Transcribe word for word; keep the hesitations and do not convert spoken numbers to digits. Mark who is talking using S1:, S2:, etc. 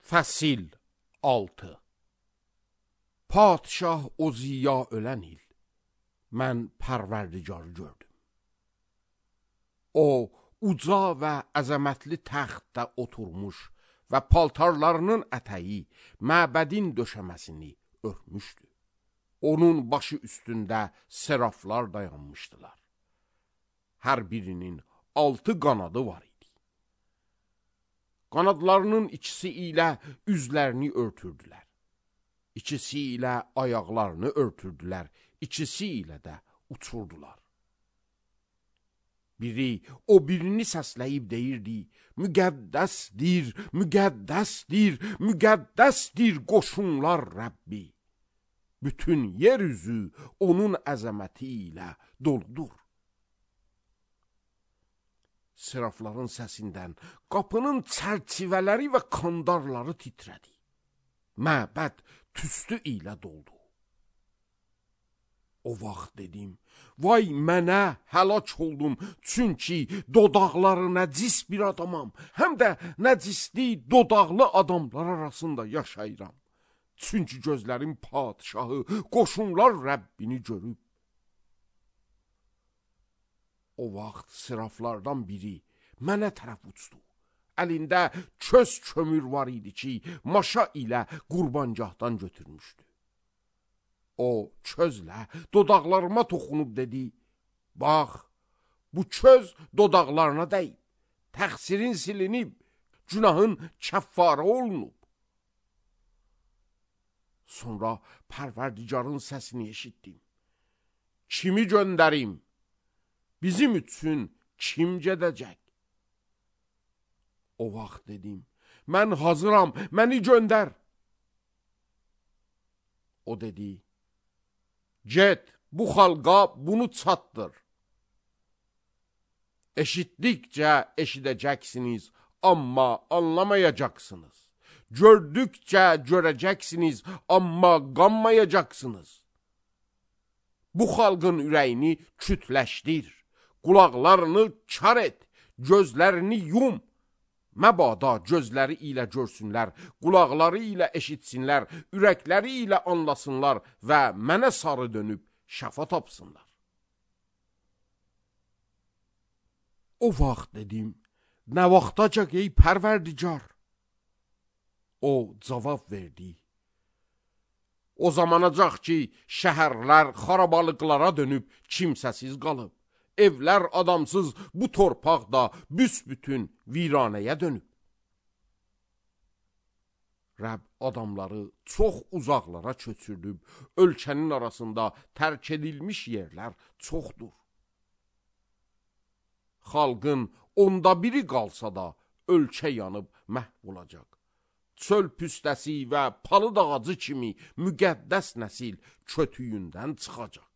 S1: Fəsil altı. Padşah o ziya ölən il, mən pərverdigarı gördüm. O, uca və əzəmətli təxtdə oturmuş və paltarlarının ətəyi məbədin döşəməsini örtmüşdü. Onun başı üstündə seraflar dayanmışdılar. Hər birinin altı qanadı var idi. Qanadlarının ikisi ilə üzlərini örtürdülər. İkisi ilə ayaqlarını örtürdülər. İkisi ilə də uçurdular. Biri o birini səsləyib deyirdi: müqəddəsdir, müqəddəsdir, müqəddəsdir qoşunlar Rəbbi. Bütün yer üzü onun əzəməti ilə doludur. Serafların səsindən qapının çərçivələri və kandarları titrədi. Məbəd tüstü ilə doldu. O vaxt dedim: vay mənə, həlak oldum, çünki dodaqları nəcis bir adamam, həm də nəcisli dodaqlı adamlar arasında yaşayıram. Çünki gözlərim padşahı, qoşunlar Rəbbini görüb. O vaxt seraflardan biri mənə tərəf uçdu. Əlində köz kömür var idi ki, maşa ilə qurbangahdan götürmüşdü. O közlə dodaqlarıma toxunub dedi: bax, bu köz dodaqlarına dəyib, təqsirin silinib, günahın kəffarə olunub. Sonra Pərverdigarın səsini eşitdim: kimi göndərim? Bizim üçün kim gedəcək? O vaxt dedim: mən hazıram, məni göndər. O dedi: get, bu xalqa bunu çatdır. Eşitdikcə eşidəcəksiniz, amma anlamayacaqsınız. Gördükcə görəcəksiniz, amma qanmayacaqsınız. Bu xalqın ürəyini kütləşdir, qulaqlarını kar et, gözlərini yum. Məbada gözləri ilə görsünlər, qulaqları ilə eşitsinlər, ürəkləri ilə anlasınlar və mənə sarı dönüb şəfa tapsınlar. O vaxt dedim: nə vaxtacaq ey Pərverdigar? O cavab verdi: o zamanacaq ki, şəhərlər xarabalıqlara dönüb kimsəsiz qalıb. Evlər adamsız, bu torpaq da büsbütün viranəyə dönüb. Rəbb adamları çox uzaqlara köçürdüb, ölkənin arasında tərk edilmiş yerlər çoxdur. Xalqın onda biri qalsa da ölkə yanıb məhv olacaq. Çöl püstəsi və palıd ağacı kimi müqəddəs nəsil kötüyündən çıxacaq.